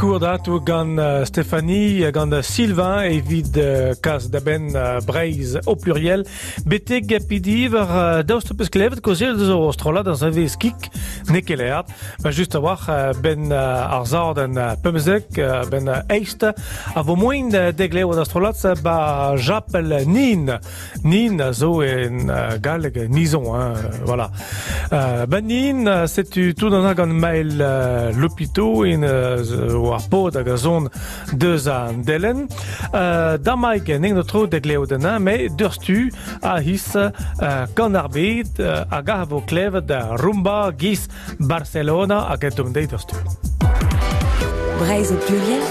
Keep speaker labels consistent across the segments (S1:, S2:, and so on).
S1: sikour datou gant Stéphanie, gant Sylvain evit kas da benn Breizh au pluriel. Betek pidi war daoust peus klevet kaozeal deus o strollad ar savez kik n'eo ket leard. Ba just a-walc'h benn ar zardenn 15 benn eizht a vo moaien deglevet ar strollad ba japel Nin. Nin a zo en galleg Nizon, hein, voilà. Ben Nin, setu tout an gant Maël Lopito en war pod hag a zon deus an delenn. Damaik n'eo tro deglevet an me deurstu a his kan ar bed hag a vo klevet rumba giz Barcelona hag e dom deiz deurstu.
S2: Breizh au pluriel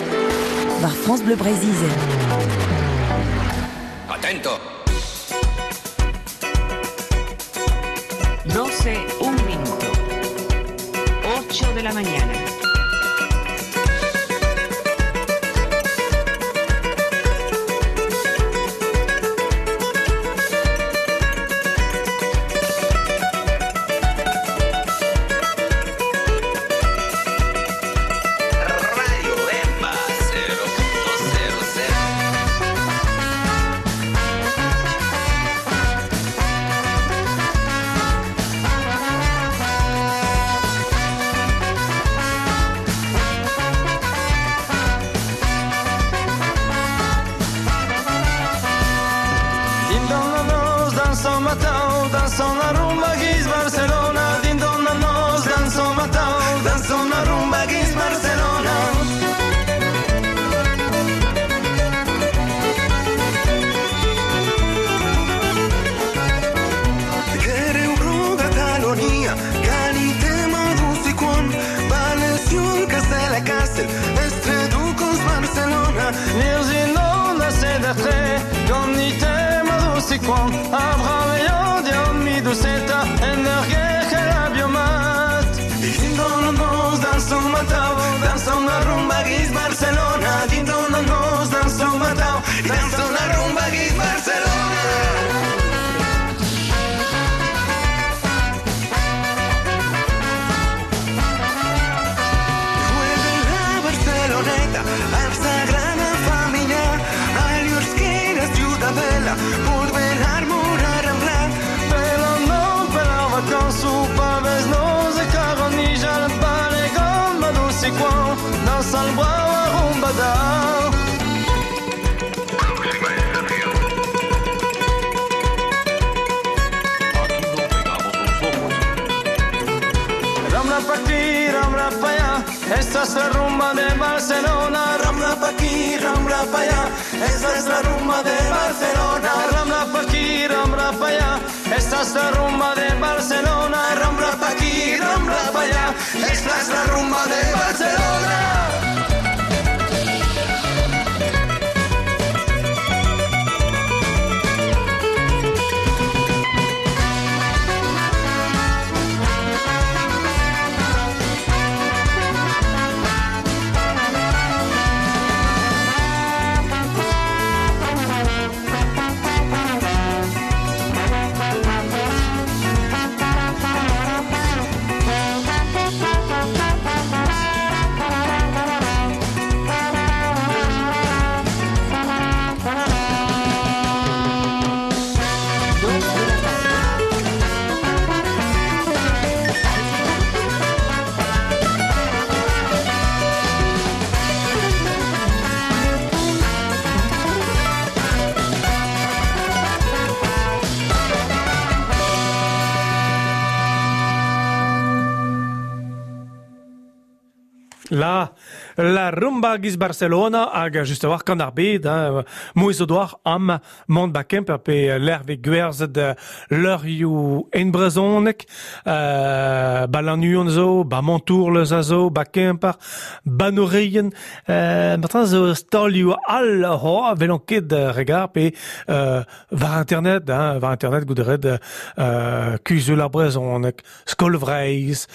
S2: war France Bleu Breizh-Izel.
S3: Atento.
S4: 12, un minuto. 8 de la mañana.
S3: Radio Emba 0.00.
S5: Dindan la noz, danson matao, danson la rumba giz Barcelona. Dindan la noz, danson matao, danson la rumba giz Barcelona.
S6: Gere bro Catalonia, Galite Maduzikon, Valenciun, Castella Castel, Estreducos Barcelona.
S5: Lirzinon a sedertre, Ganite Maduzikon, Abrameio dian miduseta, Energe la biomat.
S6: Dindan la noz, danson matao, danson la rumba giz Barcelona. Dindan la noz, danson matao, danson la rumba giz Barcelona. Vuelve la Barceloneta, al Sagrada Familia, al Llursquera Ciudadela, volver a morar en blanc.
S5: Pero non per la vacanzu, pa vez noz e karonijal, balegan maduzikon, dansal brava rumba da. Rambla pa' aquí, rambla pa' allá, esta es la rumba de Barcelona.
S6: Rambla pa' aquí, rambla pa' allá, esta es la rumba de Barcelona.
S5: Rambla pa' aquí, rambla pa' allá, esta es la rumba de Barcelona.
S6: Rambla pa' aquí, rambla pa' allá, esta es la rumba de Barcelona.
S1: La rumba giz Barcelona hag just a-walc'h kan ar bed, hein, mouez o doar am mont ba Kemper pe lerve gwerzhet leurioù en brezhoneg, ba Lannuon zo, ba Montourleuz a zo, ba Kemper, ba Noreien, martin zo stalioù all ho, velon ket regar pe war internet, hein, war internet gouderet kuzul ar brezhoneg, Skol Vreizh,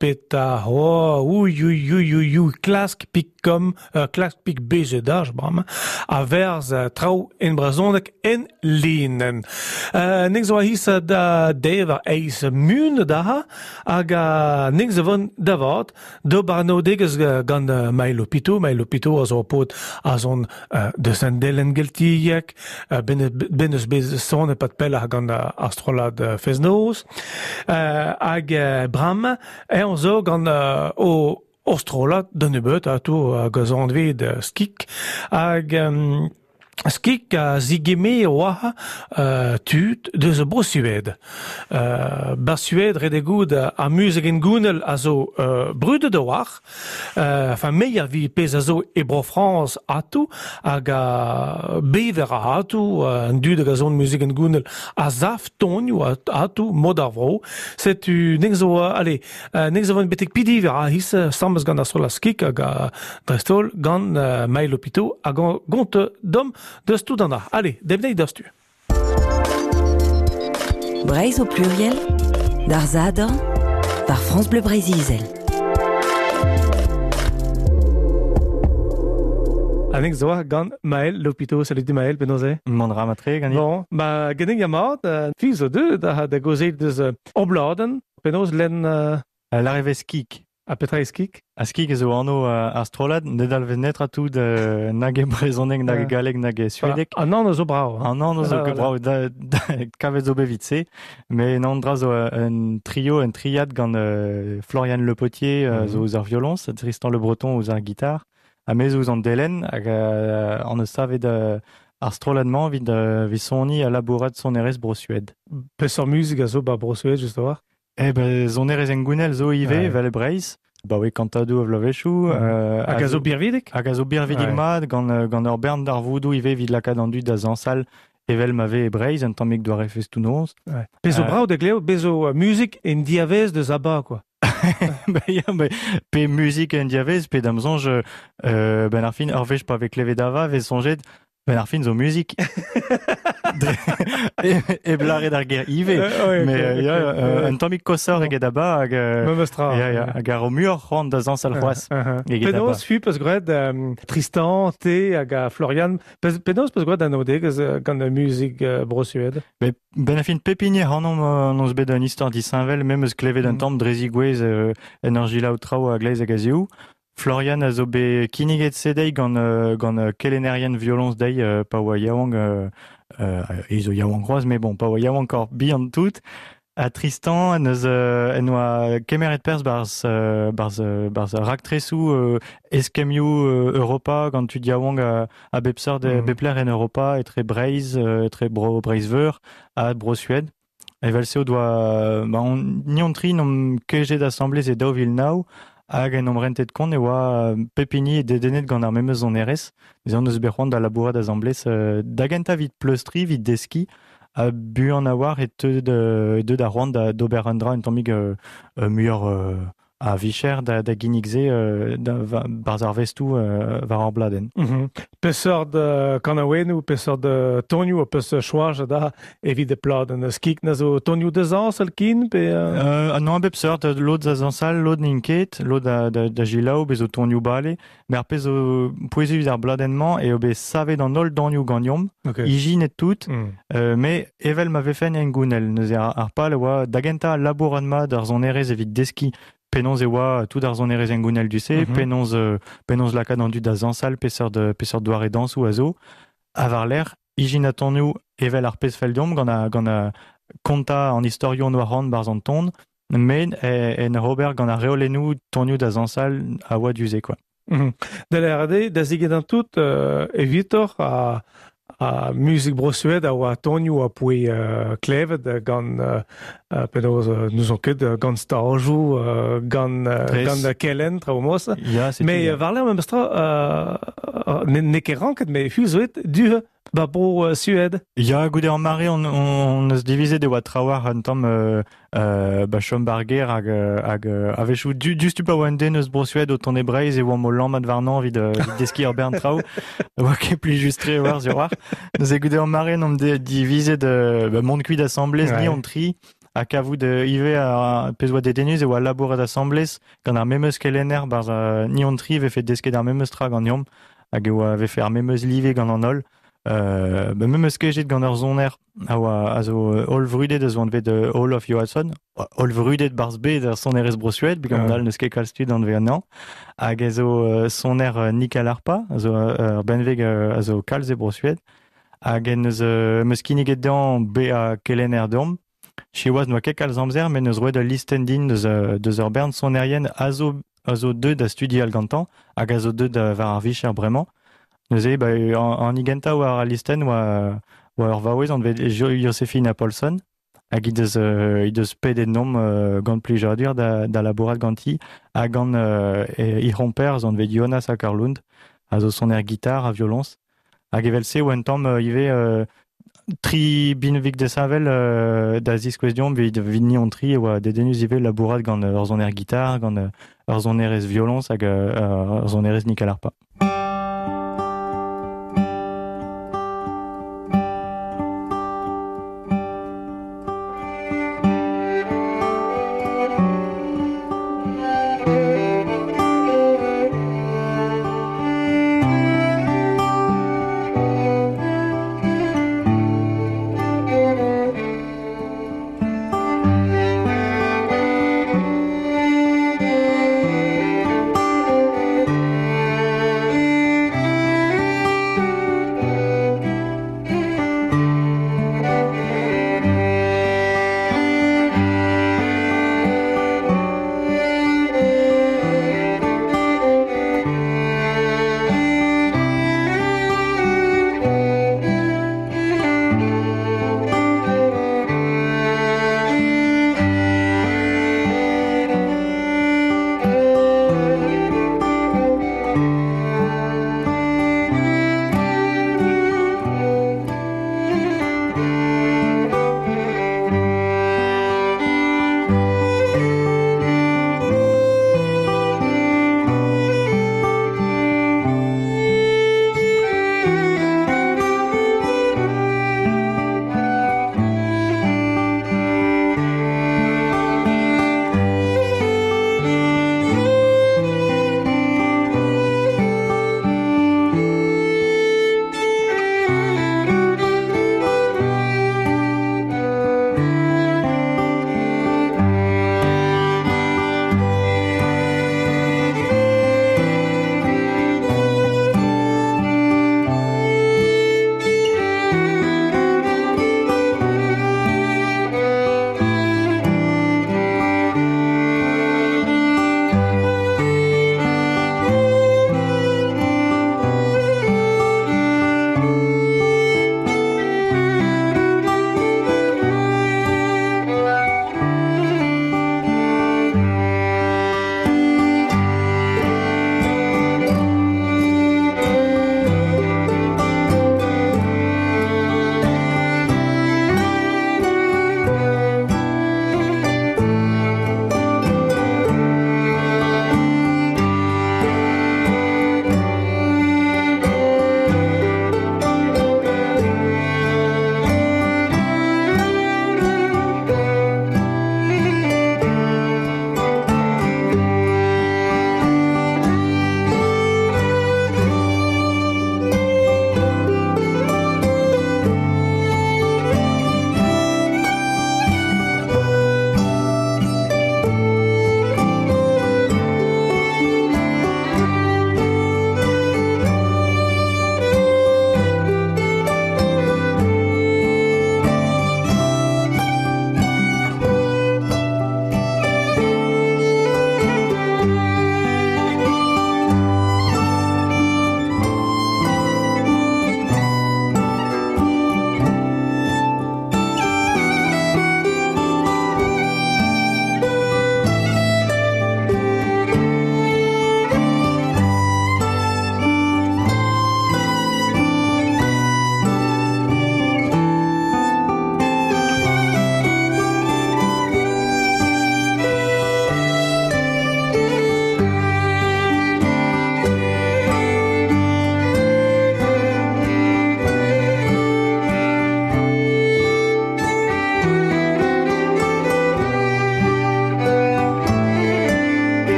S1: peta ho, ouï, ouï, ouï, www.klask pik com, klask pik bzh bremañ, a verz traoù en brezhoneg en linenn. Nek zo a-his da dever eizh mun da hag nek zo vont da vat d'ober anaoudegezh gant Maël Lopiteau. Maël Lopiteau a zo ur paotr a zon deus an delenn geltiek, ben eus bet sonet pad pelloc'h gant ar strollad Fest-Noz. Hag bremañ eñ zo gant o o strollad da nebeut atav hag a zo anvet Skik. Hag Skik a zigeme oa tud deus Bro-Sued. Ba Sued ret eo goût ar muzik hengounel a zo brudet a-walc'h. Enfin me a vi pezh a zo e Bro-Frañs atav hag a bever a atav an dud hag a son muzik hengounel a sav tonioù atav mod ar vro. Setu nek zo allez nek zo vont betek Pidiver a his sames gant ar strollad Skik hag dreist-holl gant Maël Lopiteau hag gont dom deus tout an ar. Allez, demnei deus tu.
S2: Breizh au pluriel, d'ar Sadorn, war France Bleu Breizh-Izel.
S1: Anek zo gant Maël Lopiteau. Salut Maël, penaos eo?
S7: Mont ra matre ganit.
S1: Bon, ba ganin ya mat, fi zo deuet da, da gaozeal deus obladenn, penaos lenn
S7: L'arrivée skik.
S1: Ha petra eo skik?
S7: Ha skik zo anv ar strollad, ne dalvez netra tout nag e brezhoneg, nag e galleg, nag e suedeg.
S1: An anv zo brav.
S7: An anv zo brav, da, da, kavet zo bet evit se. Mais non, dra zo un trio, un triad gant Florian Le Potier zo ouzh ar violoñs, Tristan Le Breton ouzh ar gitar, ha me zo ouzh an delenn, hag an eus savet ar strollad-mañ evit, evit soniñ ha labourat sonerezh Bro-Sued.
S1: Peseurt muzik a zo ba Bro-Sued, just a-walc'h?
S7: Eh ben, sonerezh hengounel zo ivez, evel e Breizh. Ba oui, kantadoù a vloavezhioù.
S1: Hag a zo birvidik?
S7: Hag a zo birvidik mat, gant, gant ur bern darvoudoù ivez evit lakaat an dud da zañsal evel ma vez e Breizh, un tammig doare festoù-noz.
S1: Ouais. Pezh zo brav da glev, bez zo muzik en diavez deus ABBA, quoi.
S7: Ba ya, ba, pe muzik en diavez, pe da'm soñj, ben ar fin, ur wech pa vez klevet ABBA, vez soñjet, Ben ar fin zo muzik. Hep lâret ar ger ivez. Mais ya, un tammig koshoc'h eget ABBA hag
S1: Memes tra.
S7: Ya, ya, hag a ro muioc'h c'hoant da zañsal c'hoazh
S1: eget ABBA. Penaos fu peus graet Tristan, te hag Florian, penaos peus graet anaoudegezh gant muzik Bro-Sued?
S7: Bet ben ar fin pep hini ac'hanomp hon eus bet un istor disheñvel, me 'm eus klevet un tamm dre zigouezh en ur selaou traoù a-gleiz hag a-zehou. Florian a zo bet kinniget se dezhi gant, gant kelennerien violoñs dezhi pa oa yaouank, e zo yaouank c'hoazh, mais bon, pa oa yaouankoc'h bihan tout. Ha Tristan en deus en doa kemeret perzh barzh, barzh, barzh raktresoù eskemmioù Europa gant tud yaouank a bep seurt, bep lec'h en Europa, etre Breizh, etre Bro Breizh-Veur ha Bro-Sued. Evel-se o doa ba on, ni hon-tri n'omp kejet asambles e 2009 hag en omp rentet kont e oa pep hini dedennet gant ar memes sonerezh. Neuze hon eus bet c'hoant da labourat asambles da gentañ evit pleustriñ, evit deskiñ, ha buan a-walc'h e teu e deu da c'hoant da d'ober un dra un tammig muioc'h a vicher da, da ginnig se da, barzh ar vestoù war ar bladenn.
S1: Peseurt kanaouennoù, peseurt tonioù ho peus choajet da evit e pladenn? Skik na zo tonioù da zañsal kin pe
S7: Non, a bep seurt, lod da zañsal, lod n'int ket, lod da, da, da selaou, bez zo tonioù bale. Mais ar pezh zo pouezus evit ar bladenn-mañ eo bet savet an holl donioù ganeomp, ijinet tout, mais evel ma vefen hengounel. Neuze ar, ar pal a oa da gentañ labourat mat ar sonerezh evit deskiñ penaos e oa tout ar sonerezh hengounel du-se, penaos, penaos lakaat an dud da zañsal, peseurt, peseurt doare dañsoù a zo. Ha war-lerc'h, ijinañ tonioù evel ar pezh fell deomp gant a, gant a kontañ an istorioù hon oa c'hoant barzh an ton, met en ober gant ar reolennoù tonioù da zañsal a oa du-se quoi.
S1: Da lâret eo, da zegedañ tout evitoc'h ha, ha muzik Bro-Sued a oa tonioù a poe klevet gant penaos n'ouzon ket gant stajoù gant gant kelenn traoù mos.
S7: Ya, setu,
S1: Mais
S7: ya.
S1: war-lerc'h memes tra n'eo ket ranket mais hu zo et du ba bro Sued.
S7: Ya, goude ar mare on, on eus divizet e oa trawalc'h un tamm ba chom bar gêr hag, hag a-wechoù du, diouzhtu pa oa un den eus Bro-Sued o tont e Breizh e oamp o lammat warnañ evit, evit deskiñ ur bern traoù. Oa ket plijus-tre war sur war. Neuze goude ar mare on divizet ba mont kuit asambles, ni hon tri. Ha kavout ivez ar pezh oa dedennus e oa labourat asambles gant ar memes kelenner barzh ni hon tri vefe desket ar memes tra ganeomp hag e oa vefe ar memes live gant an holl. Ba memes kejet gant ur soner a oa a zo holl vrudet a zo anvet Olof Johansson, holl vrudet barzh bet ar sonerezh Bro-Sued, begamant all n'eus ket kalz tud anvet anezhañ, hag a zo soner nyckelharpa, a zo ur benveg a zo kalz e Bro-Sued, hag en eus meus kinniget dezhañ bezañ kelenner deomp. Siwazh n'oa ket kalz amzer, met neus roet ul listenn din deus, deus ur bern sonerien a zo, a zo deuet da studial gantañ hag a zo deuet war ar vicher bremañ. Neuze, ba, an gentañ war al listenn oa, oa ur vaouez anvet Josefina Paulson, hag he deus pedet nomp gant plijadur da, da labourat ganti, ha gant he c'homper anvet Jonas Åkerlund, a zo soner gitar ha violoñs. Hag evel-se oa un tamm ivez tri binvig desavel da ziskouez deomp evit ni hon tri e oa dedennus ivez labourat gant ur soner gitar, gant ur sonerez violoñs hag ur sonerez nyckelharpa.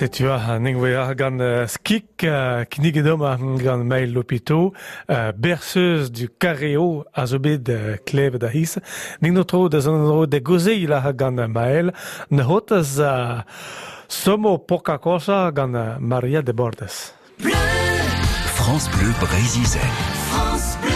S1: Setu a nengwe gant skik kinniget omp gant Maël Lopito, berceuse du Carreo a zo bet klevet a his. Ning no tro da zon dro de gozeil a gant Maël, ne hotaz somo poca cosa gant Maria de Bordes.
S2: Bleu.
S3: France Bleu Breizh-Izel.
S2: France Bleu.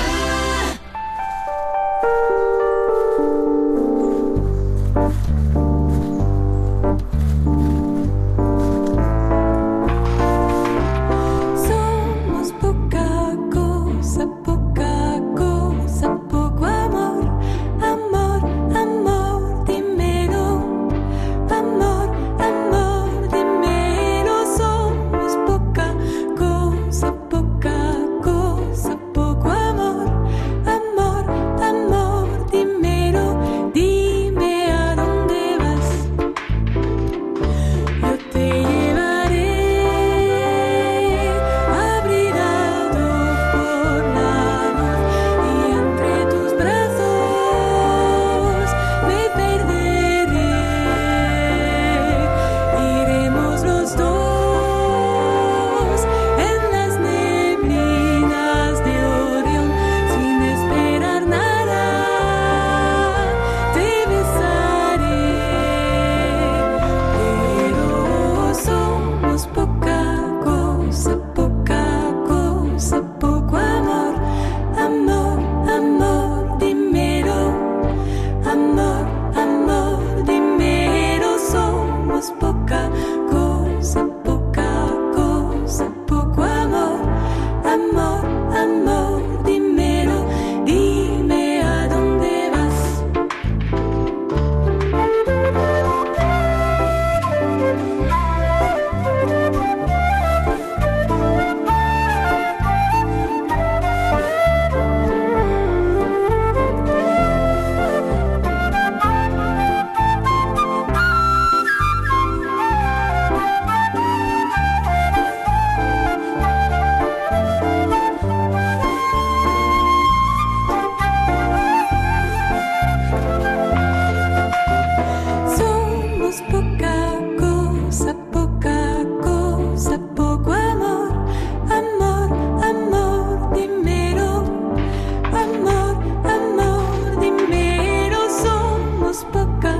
S8: Somos poca cosa, poca cosa, poco amor, amor, amor, dímelo, amor, amor, dímelo. Somos poca cosa, poca cosa, poco amor, amor, amor, dímelo, dime a dónde vas. Yo te llevaré abrigado por la luz y entre tus brazos me perderé. Iremos los dos en las neblinas de Orión sin esperar nada. Te besaré. Pero somos poca cosa, poca cosa, poco amor, amor, amor, dímelo, amor, amor, dímelo. Somos poca cosa, poca cosa, poco amor, amor, amor, dímelo, dime a dónde vas. Somos poca cosa, poca cosa, poco amor, amor, amor, dímelo, amor, amor, dímelo. Somos poca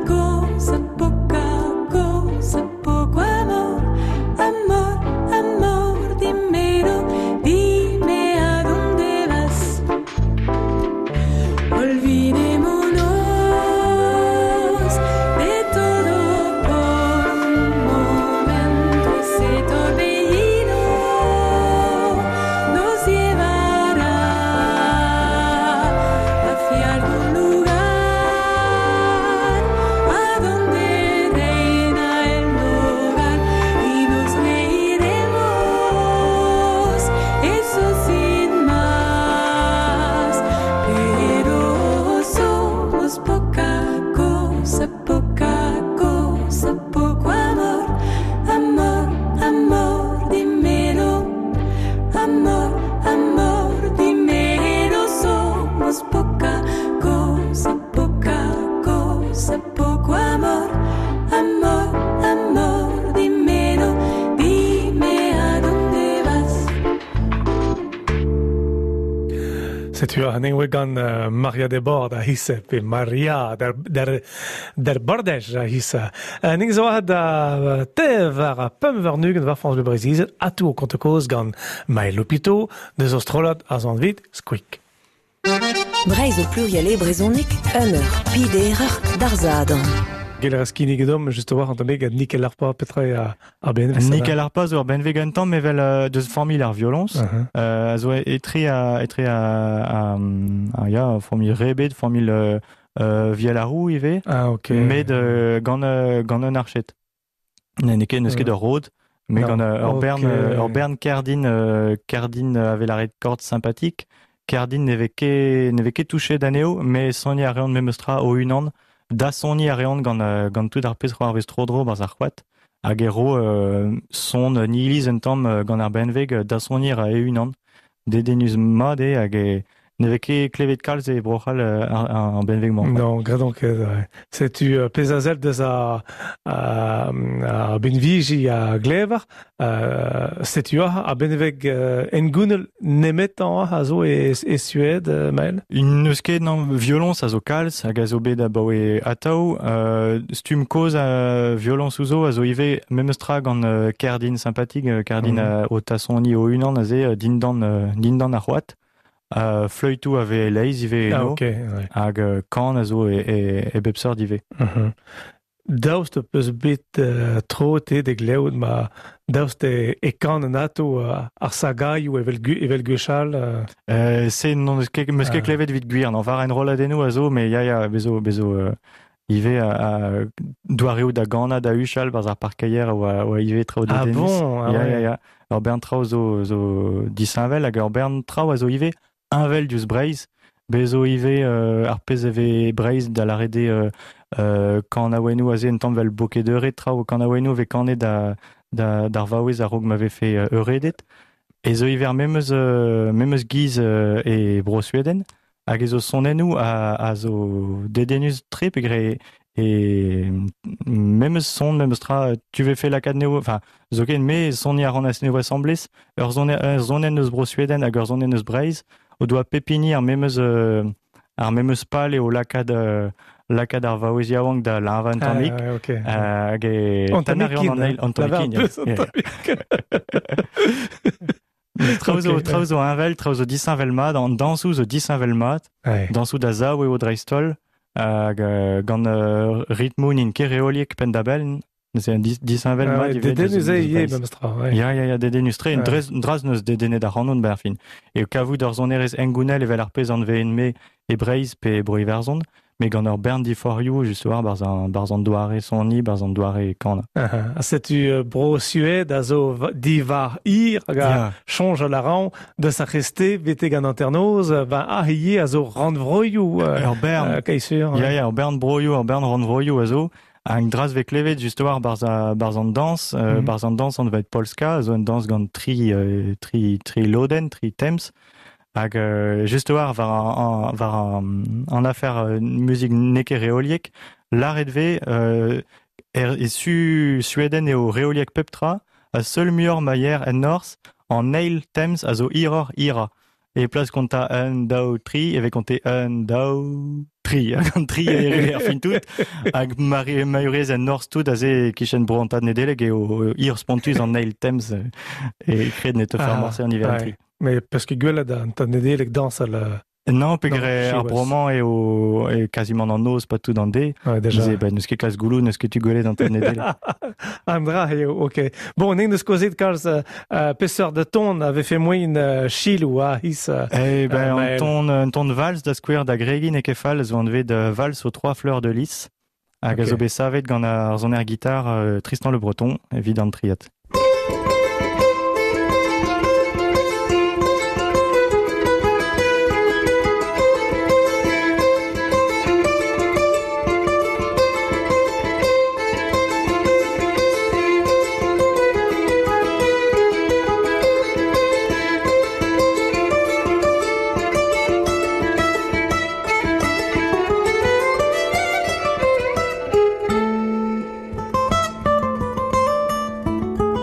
S8: cosa, poca cosa, poco amor, amor, amor, dímelo, dime a dónde vas. Olvidémonos de todo por un momento. Ese torbellino nos llevará hacia algún lugar a donde reina el hogar y nos reiremos, eso sin más. Pero somos poca cosa, poca cosa, poco amor, amor, amor, dímelo, amor, amor, dímelo. Somos poca cosa, poca cosa, poco amor, amor, amor, dímelo, dime a dónde vas.
S1: Setu a nengwe gant Maria de Bord a hisse, pe Maria der Bordej a hisse. Ning zo da tev ar pemp war war France Bleu Breizh-Izel, atou o konte koz gant Maël Lopito, deus ostrolat a zan vit, squeak.
S2: Breizh au pluriel e brezhoneg, un eur, pider d'ar zadan.
S1: Gel ar skinnig edom, just war an tammig, Nickel Arpa, petra eo ar benveg.
S7: Nickel Arpa zo ar benveg un tamm evel deus familh ar violons. A zo etre a ya, familh rebet, familh Vialarou ivez.
S1: Ah, ok.
S7: Met gant un archet. N'eo ket, n'eus ket ur rod, mais gant ur bern, ur bern kerdin, kerdin avel ar corde sympathique. Kerdin ne vez ket touché d'aneo, mais soniñ a reont memestra o unan. Da soniñ a reont gant tout ar pezh c'hoarvez tro-dro barzh ar c'hoad. Hag e ro son nihiliz un tamm gant ar benveg da soniñ a e unan. Dedennus mat eo hag e Ne vez ket klevet kalz e Bro-C'hall ar benveg-mañ.
S1: Non, gredon ket, ouais. Setu pezh a sell deus a benviji a glever, setu ar benveg hengounel nemetañ a zo e Suède, Maël?
S7: N'eus ket, non, violoñs a zo kalz hag a zo bet abaoe atav. Stumm kozh a violoñs zo a zo ivez memes tra gant kerdin sympathik, kerdin o tasoniñ o-unan aze dindan ar c'hoad. Fleütoù a vez e-leizh ivez eno,
S1: Ah, ok, ouais.
S7: hag kan a zo e bep seurt ivez.
S1: Daoust peus bet tro te da glevout ma daoust e kan an ato ar sagaioù evel gwechall
S7: Se n'on eus ket, meus ket klevet evit gwir, non, war enrolladennoù a zo, mais ya, ya, bezo ivez a doareoù da ganañ da huchal barzh ar parkeier a oa ivez traoù
S1: Ah
S7: dedennus.
S1: bon, ah
S7: Ya,
S1: ouais.
S7: ya, ya. Ur bern traoù zo disheñvel hag ur bern traoù a zo ivez heñvel diouzh Breizh. Bez zo ivez ar pezh e vez Breizh da lâret eo kanaouennoù aze un tamm vel bokedeure traoù kanaouennoù vez kanet d'ar vaouez a-raok ma vefe euredet. E zo ivez ar memes giz e Bro-Sveden hag e zo sonennoù a zo dedennus tre peogwir e memes son, memes tra, tu vefe lakaat neo, enfin, zoken me soniñ a ran anezho asambles, ur sonenn eus Bro-Sveden hag ur sonenn eus Breizh, o doa pep hini ar memes pal eo lakaat ar vaouez yaouank da leñvañ un tammig.
S1: Ah, ok.
S7: Hag e
S1: An tammig
S7: tennañ a reont an
S1: kin,
S7: eil, an tammig
S1: lavar
S7: kin, ya.
S1: peus an
S7: Ya, ya.
S1: tammig.
S7: Traoù zo,
S1: Ok,
S7: traoù zo heñvel, traoù zo disheñvel mat, an dañsoù zo disheñvel mat,
S1: Ouais.
S7: dañsoù da zaou eo dreist-holl, hag gant ritmoù n'int ket reoliek penn-da-benn, neuze un disheñvel
S1: Ah,
S7: mat
S1: ouais,
S7: ivez
S1: dedennus
S7: deus
S1: eo ivez
S7: Breizh.
S1: memes tra, ouais.
S7: Ya, ya, ya, dedennus-tre, un
S1: Ouais.
S7: draz neus dedennet ac'hanon ben ar fin. E kavout ur sonerezh hengounel evel ar pezh anveen-me e Breizh pe e Bro-Iwerzhon, mais gant ur bern diforioù just war barzh an doare soniñ, barzh an doare kanañ.
S1: Ah, ah, setu Bro-Suède a zo diwar hir hag a
S7: Ya.
S1: soñj a ran deus ar c'heste betek an hanternoz, ben ah ivez a zo rannvroioù
S7: Ur bern.
S1: kaesur.
S7: Ya, ya, ur bern broioù, ur bern rannvroioù a zo. Hag draz vez klevet just war barzh an dañs, barzh an dañs anvet polska, a zo un dañs gant tri lodenn, tri temps. Hag just war an afer muzik n'eo ket reoliek, lâret vez e Sueden eo reoliek pep tra, ha seul muioc'h ma yer en norzh, an eil temps a zo hiroc'h hirañ. E plas kontañ 1, 2, 3, e vez kontet 1, 2, 3. Hag an 3 e erru er fin tout. Hag maurez en norzh tout aze e-kichen bro an tad Nedeleg eo hir spontus an eil temps e kred ne te fer
S1: Ah,
S7: morse an niver
S1: ouais.
S7: 3.
S1: Mais parce que gwelet an tad Nedeleg dañsal
S7: Non, peogwir
S1: Non,
S7: ar
S1: siwazh.
S7: bremañ eo e quasiment an noz, pas tout an de.
S1: Ouais, déjà.
S7: Neuze, ben, n'eus ket kalz gouloù, n'eus ket tu gwelet an tad Nedeleg.
S1: An dra eo, ok. Bon, n'en deus kaozet kalz peseurt de ton a vefe moaien chiloù a his
S7: Eh ben,
S1: Maël.
S7: un ton de valse da skouer da gregin e kefal zo anvet valse aux trois fleurs de lys. Hag a
S1: Ok.
S7: zo bet savet gant ar soner gitar Tristan Le Breton evit an triad.
S8: Thank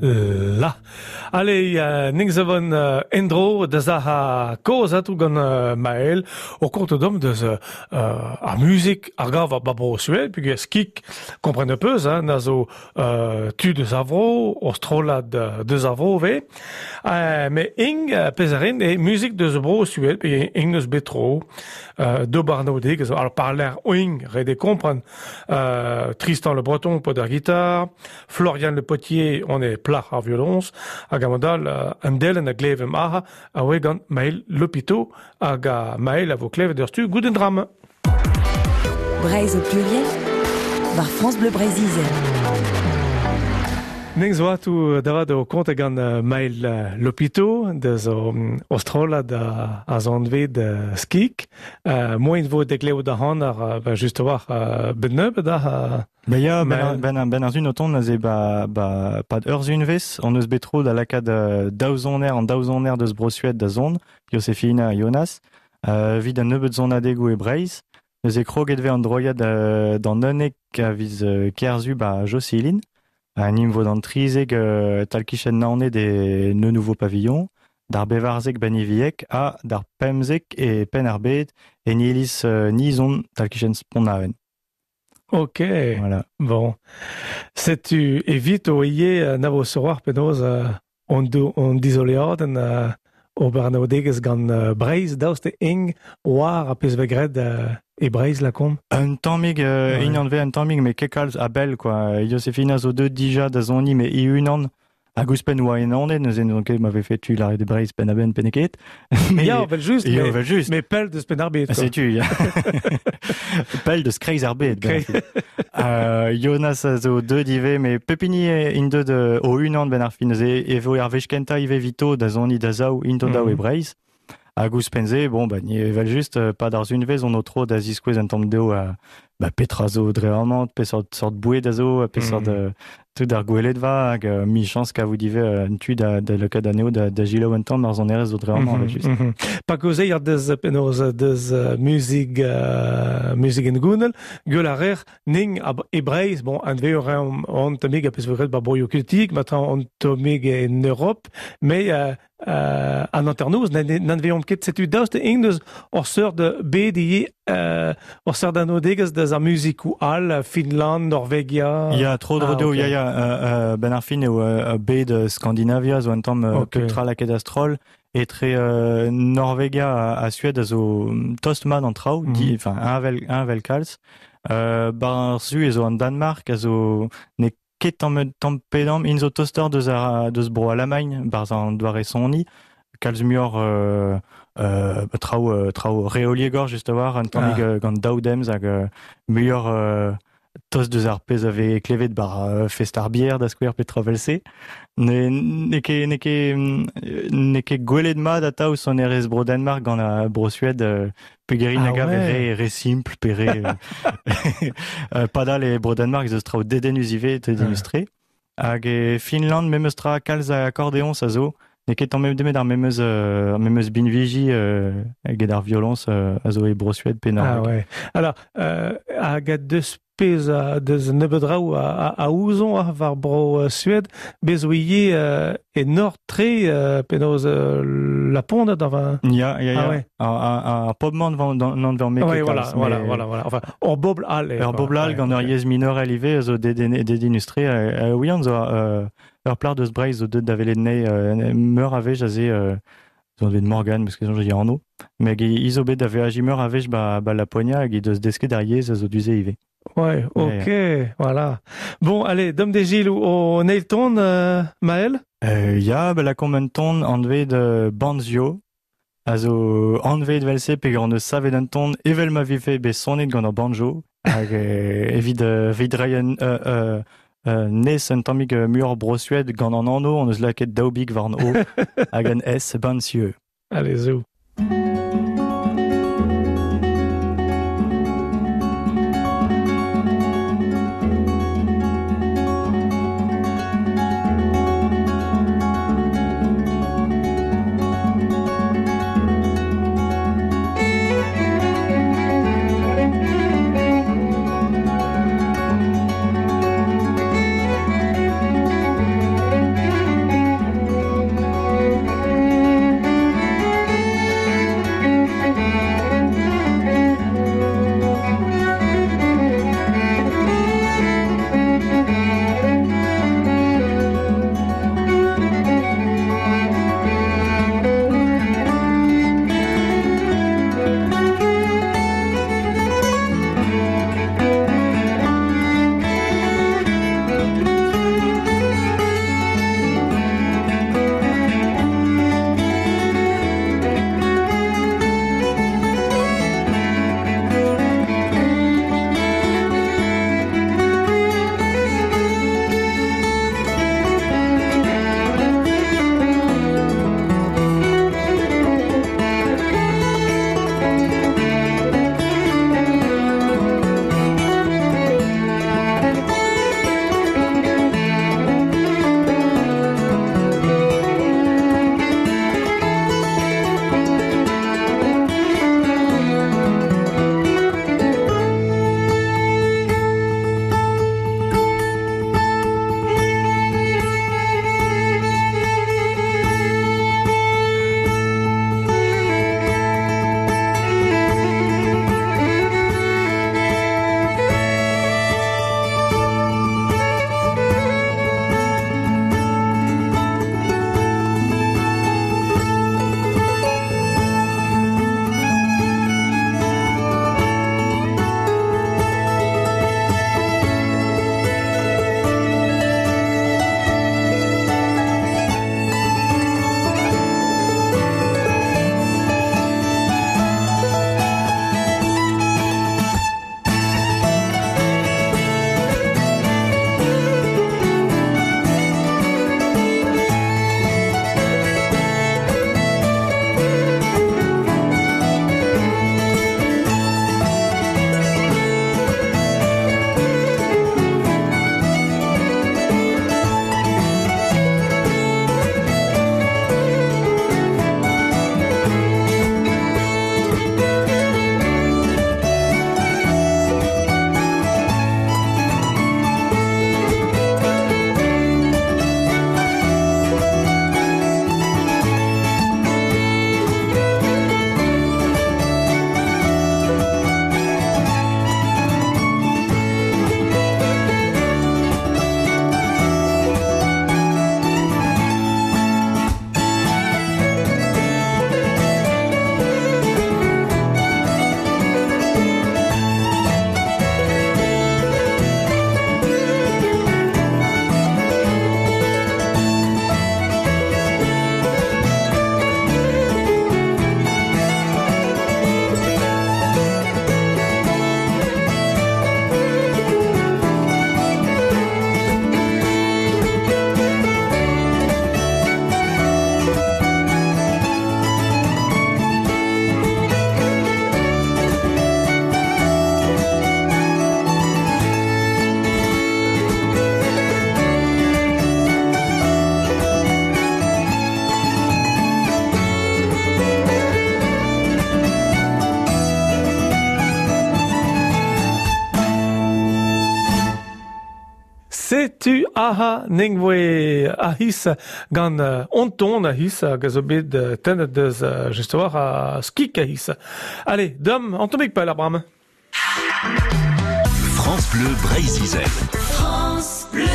S1: La. Allez, ning zavon endro da zaha koz atou gant Maël o kont dom deus ar muzik ar gav ar babro Suède, pugur skik kompren peus, hein, na zo tu deus ar vro, o strollad deus ar vro ve. Me ing pezarin e muzik deus bro Suède, pugur ing eus betro, do barnaudeg, alors parler ing, rede kompren, Tristan le Breton pod ar guitare, Florian le Potier, on est plach ar violons, hag amandal an delen a glevem aha a oe gant Maël Lopito hag a Maël a vo klevet ur stu gouden dram.
S2: Breizh au pluriel war France Bleu Breizh Izel.
S1: Ning zo atou davad o kont gant Maël Lopito deus o strollad a zanved skik. Moin vo degleo da han ar ba just war ben nebeut da
S7: Ba ya, ben ar zun o tont aze ba pad ur zunvez, on eus bet tro da lakaat daou zoner an daou zoner deus Bro-Suède da zon, Josefina ha Jonas, vid an nebeut zonadegou e Breizh, neuze kroget ve an droiad d'an unnek a viz kerzu ba Jocelyn, a nim vo d'an trizeg talkichen naoned e ne nouveau pavillon, d'ar bevarzeg baniviek ha d'ar pemzek e pen ar bed e nilis nizon talkichen sponnaven.
S1: Ok.
S7: Voilà.
S1: Bon. Setu evit o ie na vo soroar penaos on on dizoleadenn ober an aodegezh gant Breizh daoust e eng war a pezh vegret e Breizh lakomp.
S7: Un tammig ouais. Inan ve un tammig me ket kalz a bell quoi. Josefina zo deut dija da zoni me i unan hag ouzhpenn oa en anet neuze n'on ket m'avait fait tu l'arrêt de Breizh penn a benn penneket.
S1: Mais ya, vel just, mais, vel just. Mais pell deus penn ar bed.
S7: Setu, ya. Pell deus kreiz ar bed. Jonas a zo deut ivez, me pepini int deut o unan ben ar fin neuze e vo ar wech kentañ ivez vito da zoni da zaou int o daou e Breizh. Hag ouzhpenn-se, bon, ba, ni evel just, pad ar zunvez on o tro da ziskouez un tamm dezho ba, petra zo dre amañ, peseurt sort boued a zo, peseurt tout ar gwelet va, hag mi chans kavout ivez un tu da lakaat anezho da gilaou un tamm ar sonerezh zo dre amañ, evel just.
S1: Pa kaozeer deus penaos deus muzik muzik en gounel, gwell a rer ning e Breizh, bon, an vez on tammig a pezh vo graet ba broioù keltiek, matin on tammig en Europe, mais an hanternoz n'an veomp ket setu daoust ing deus ur seurt bed ivez ur seurt anodegezh deus ar muzikoù all, Finland, Norvegia.
S7: Ya, tro dro dezho, ya, ya, ben ar fin eo bed Skandinavia zo un tamm petra lakaet a-stroll, etre Norvegia ha Suède a zo tost mat an traoù, enfin, un vel kalz. Bar su e zo an Danmark a zo ne ket tamm pedam int zo toster deus ar deus bro Alamagn barzh an doare soniñ kalz muioc'h traoù traoù reoliegor just a-walc'h un tammig gant daou demz hag muioc'h tost deus ar pezh a vez klevet bar fest ar bier da skouer pe tra vel-se. Ne ket gwelet mat atav sonerezh bro Danmark gant ar bro Suède peogwir a gav re re simpl pe re padal e bro Danmark ez eus traoù dedennus ivez, dedennus-tre. Hag e Finland memes tra kalz a akkordeoñs a zo. N'eo ket tamm nemet ar memes binviji get ar violoñs a zo e Bro-Suède pe
S1: Norveg. Ah ouais. Alors, hag a deus pezh a deus nebeut draoù a ouzon war bro Suède, bez zo ivez e nord-tre penaos Laponde da va...
S7: Ya, ya, ya. Ah ouais. Ar pobl-mañ n'an ver
S1: me ket voilà, voilà, voilà, voilà. Enfin, ur bobl all.
S7: Ur bobl all gant ur yezh minorel ivez a zo dedennus-tre. Ouian zo ur plac'h deus Breizh zo deuet da welet anezhi meur a wech aze zo anvet Morgan, parce que soñj e anv. Met hi zo bet da veajiñ meur a wech ba Laponia hag he deus desket ar yezh a zo du-se ivez.
S1: Ouais, ok, voilà. Bon, allez, dom de Gilles o neil ton, Maël?
S7: Ya, ba lakaomp un ton anvet Banzio, a zo anvet evel-se peogwir hon eus savet un ton evel ma vefe bet sonet gant ur banjo, hag evit evit reiñ un nes un tammig muioc'h Bro-Suède gant an anv, hon eus lakaet daou big war an O hag un S, Banzio.
S1: Allez, zo. Setu aha ning voe ahis gant onton ahis hag a zo bet tennet deus just war a skik ahis. Allez, dom, an tammig pell ar bremañ.
S3: France Bleu Breizh-Izel.
S8: France Bleu.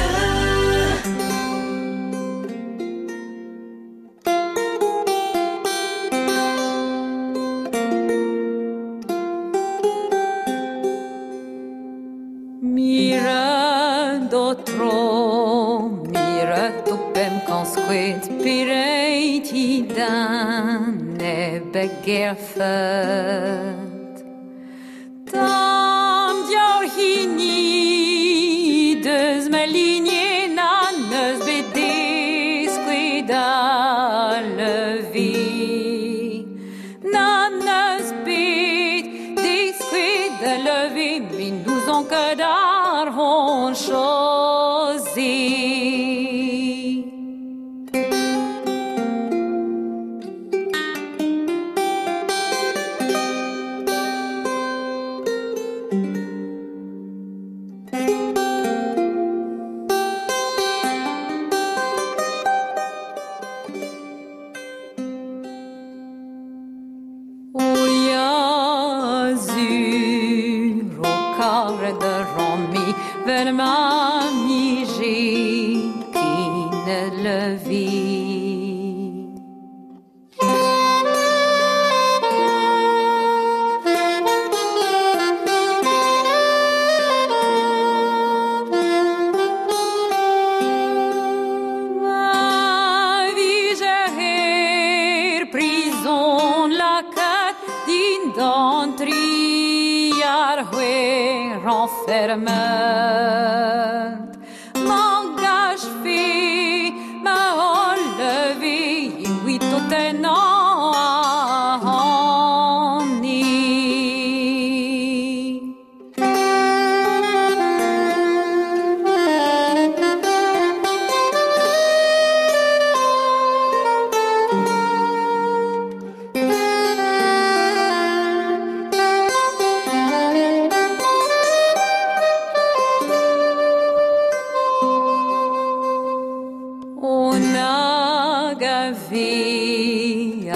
S8: Mira d'otro, mira topem kansquet pireiti dan e begerfet. Tam diaour hini deus ma lignée na neus bet deskuet a lever. Na neus bet deskuet da lever, met n'ouzon ket ar hon chose. O ya zur o karet a ran-me 'vel ma 'mije ken lever. Ma vije er prizon lakaet dindan tri ar c'hwec'h enfermet. M'engajfe ma holl leve evit o tennañ ac'hane. O nag a ve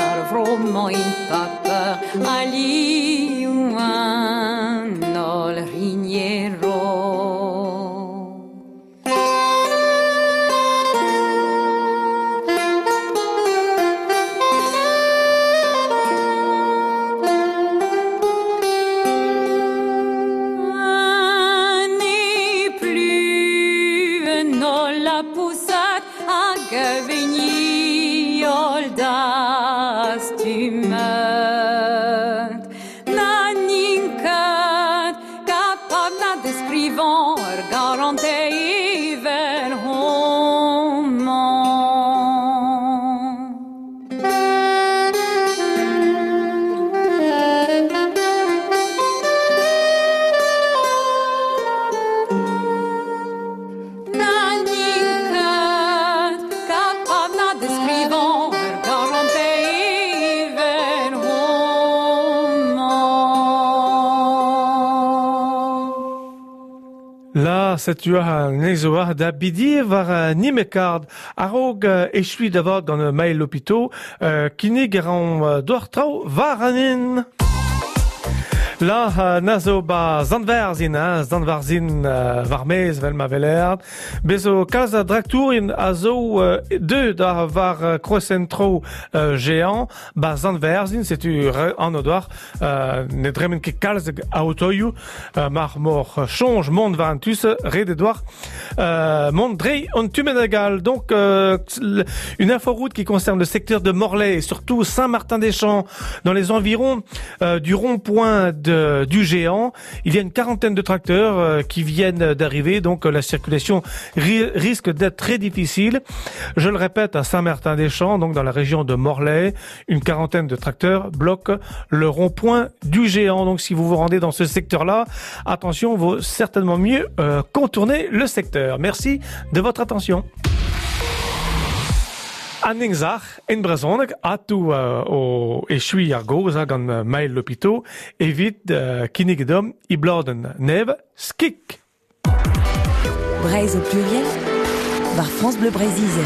S8: ar vro-mañ en paper alioù an holl rignero. N'est plus un holl lapousat hag a veni holl dastumet. Na n'int ket kapabl na deskrivañ ur garantez evel homañ. Na n'int ket kapabl na deskrivañ ur garantez evel homañ.
S1: La, setu ar nezo da bidi war nimekard a-raok echuiñ da vat gant Mael Lopito kinnig a ran doc'h traoù war an hin. La na zo ba Zantverzin, hein, Zantverzin war-maez 'vel ma weler. Bez zo kalz a draktourien a zo deuet da war kroashent-tro Géant ba Zantverzin, setu anv doc'h ne dremen ket kalz a otoioù mar mor soñj mont war an tu-se, ret eo deoc'h mont dre an tu bennak all. Donc une inforoute qui concerne le secteur de Morlaix et surtout Saint-Martin-des-Champs dans les environs du rond-point du Géant. Il y a une quarantaine de tracteurs qui viennent d'arriver, donc la circulation risque d'être très difficile. Je le répète, à Saint-Martin-des-Champs, donc dans la région de Morlaix, une quarantaine de tracteurs bloquent le rond-point du Géant. Donc si vous vous rendez dans ce secteur-là, attention, vaut certainement mieux contourner le secteur. Merci de votre attention. An ning-sac'h en brezhoneg atoù o echuiñ ar gaoz gant Mael Lopito evit kinnig deomp e bladenn nevez Skik.
S2: Breizh au pluriel, war France Bleu Breizh-Izel.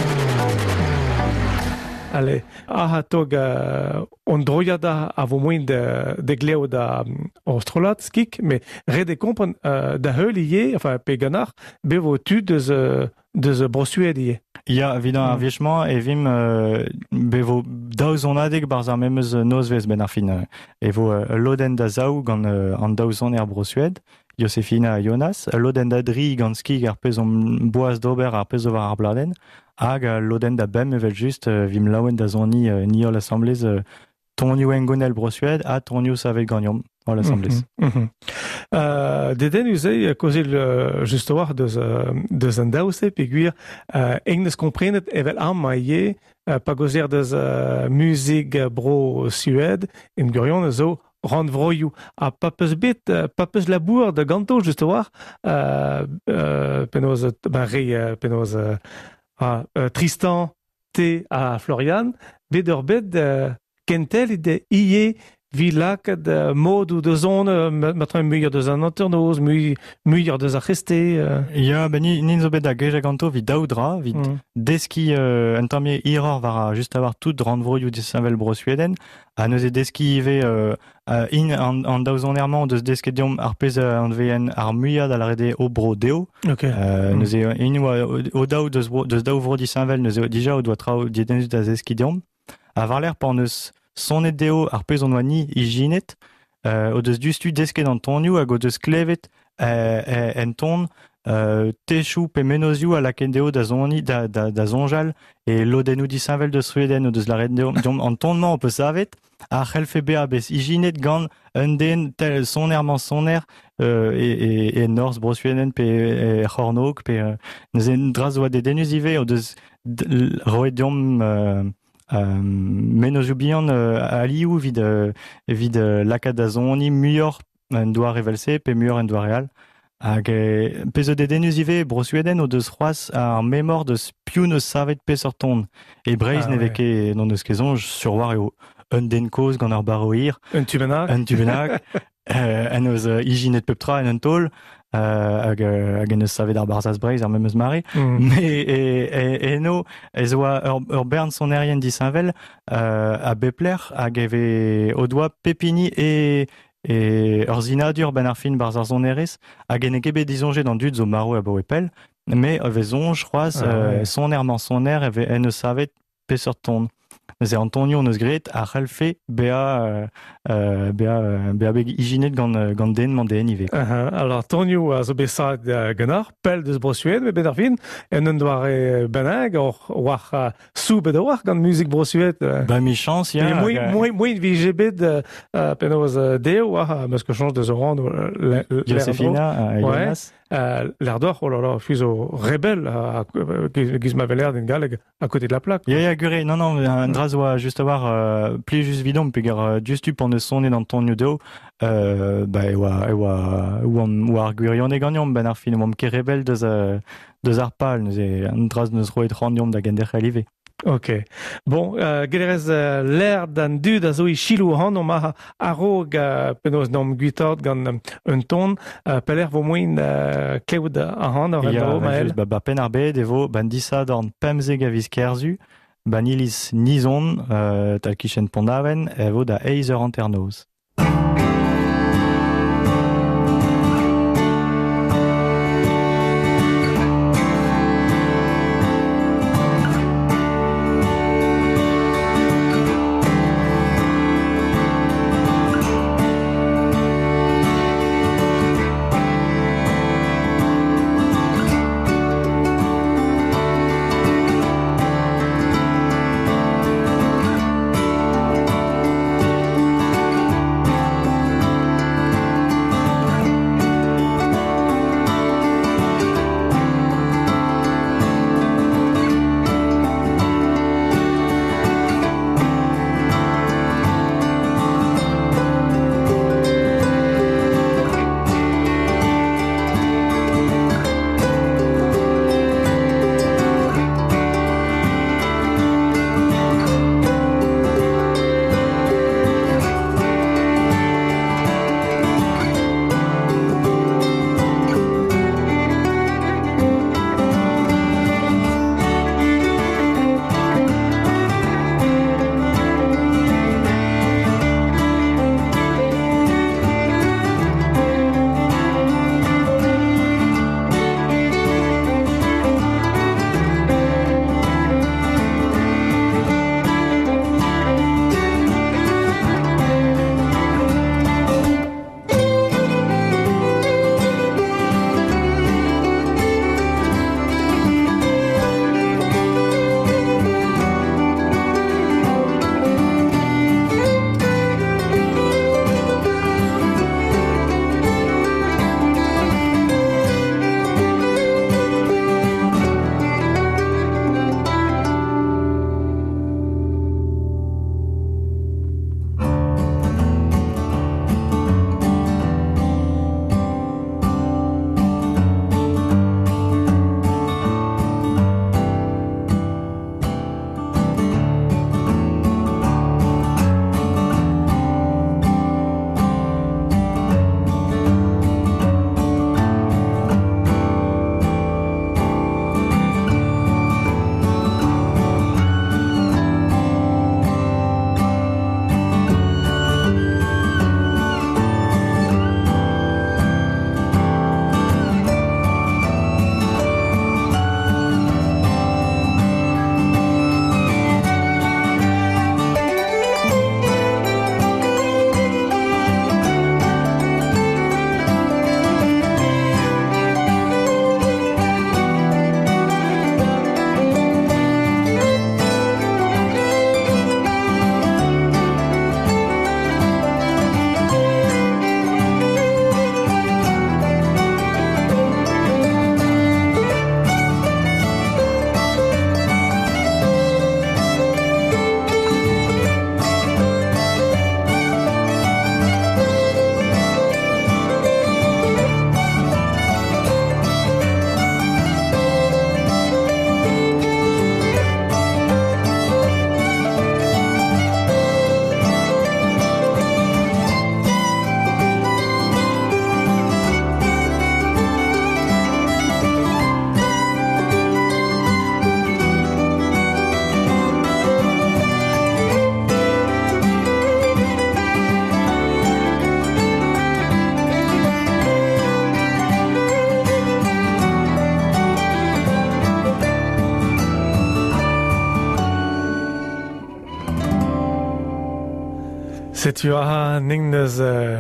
S1: Allez, aha tog on droiad a vo moin de gleo da o strollad skik, me ret e kompren da heul ivez, enfin pe ganar, be vo tud deus Bro-Sued ivez.
S7: Ya, evit ar wech-mañ e vimp be vo daou zonadeg barzh ar memes nozvezh benn ar fin. E vo ul lodenn da zaou gant an daou soner Bro-Sued, Josefina ha Jonas, ul lodenn da dri gant skig ar pezh omp boaz d'ober ar pezh zo war ar bladenn, hag ul lodenn da bemp evel-just vimp laouen da soniñ ni holl asambles tonioù hengounel Bro-Sued ha tonioù savet ganeomp holl asambles.
S1: Dedennus eo kaozeal just a-walc'h deus an daou-se peogwir eñ neus komprenet evel amañ ivez pa gaozeer deus muzik Bro-Sued en gwirionez zo rannvroioù ha pa peus bet pa peus labour da ganto just a-walc'h penaos ben re penaos Tristan T ha Florian bet ur bet kentel ivez evit lakaat modoù da zont matre muioc'h deus an hanternoz, muioc'h deus ar c'hreste.
S7: Ya, ben ni zo bet da gejañ ganto evit daou dra, evit deskiñ un tamm hiroc'h war just a-walc'h tout rannvroioù disheñvel Bro-Sveden, ha neuze deskiñ ivez int an daou soner-mañ o deus desket deomp ar pezh a anveent ar muiañ da lâret eo o bro dezho. Neuze int oa o daou deus daou vro disheñvel, neuze dija o doa traoù dedennus da zeskiñ deomp. Ha war-lerc'h pan eus sonet dezho ar pezh hon oa ni ijinet, o deus diouzhtu desket an tonioù hag o deus klevet en ton techoù pe mennozhioù a lakaent dezho da soniñ, da soñjal e lodennoù disheñvel deus Sveden o deus lâret deomp an ton-mañ ho peus savet a c'hellfe bezañ bet ijinet gant un den tel soner-mañ-soner e norzh Bro-Sveden pe e c'hornôg pe neuze un dra zo dedennus ivez o deus roet deomp mennozhioù bihan alioù evit lakaat da soniñ muioc'h en doare evel-se pe muioc'h en doare all. Hag pezh zo dedennus ivez, Bro-Sveden o deus c'hoazh ar memor deus piv n'eus savet peseurt ton. E Breizh ne vez ket, n'hon eus ket soñj, sur war eo un den kozh gant ur barv hir.
S1: Un tu bennak.
S7: Un tu bennak. En deus ijinet pep tra en un taol hag en deus savet ar Barzhaz Breizh ar memes mare. Mais eno ez oa ur bern sonerien disheñvel a bep lec'h hag e vez o doa pep hini e ur sinadur benn ar fin barzh ar sonerezh hag en ket bet disoñjet an dud zo marv abaoe pell, mais e vez soñj c'hoazh soner-mañ-soner e vez en deus savet peseurt ton. Neuze Antonio hon eus graet a c'hallfe bezañ bezañ bet ijinet gant den mañ den ivez.
S1: Alors Antonio a zo bet savet ganeoc'h, pell deus Bro-Sued, met bet ar fin, en un doare bennak, war soubet a-walc'h gant muzik Bro-Sued.
S7: Ba michañs, ya.
S1: Moin vije bet penaos dezho, meus ket chañs deus o rann
S7: Josefina, Jonas.
S1: L'air d'or, oh là là, je suis zo rebelle, giz ma veler den galleg. À côté de la plaque.
S7: Ya, ya, gure, non, non, un dra zo oa just a-walc'h plijus evidomp, peogwir diouzhtu p'on eus sonet an tonioù dezho, ba, e oa, e oa, oamp, oa ar gwirionez ganeomp, benn ar fin, oamp ket rebel deus ar pal, neuze an dra neus roet c'hoant deomp da genderc'hel ivez.
S1: Ok. Bon, gellerez l'air d'an dud a zo e selaou ac'hanomp a-raok penaos n'omp gwitaat gant un ton, pelec'h vo moaien klevout ac'hanoc'h en-dro, Maël?
S7: Ba, ba Penn-ar-Bed e vo ban disadorn 15 a viz Kerzu, ban iliz Nizon, tal-kichen Pont-Aven, e vo da eizh eur hanternoz.
S1: Setu a ning neus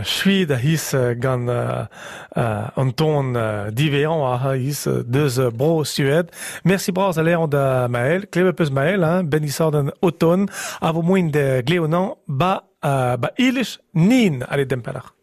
S1: chuid a his gant an ton divean a his deus bro Sued. Merci bras a leon da Maël. Kleve peus Maël, hein, ben isor den automne, a vo moin de gleonan ba, ba ilish nin ale dempeller.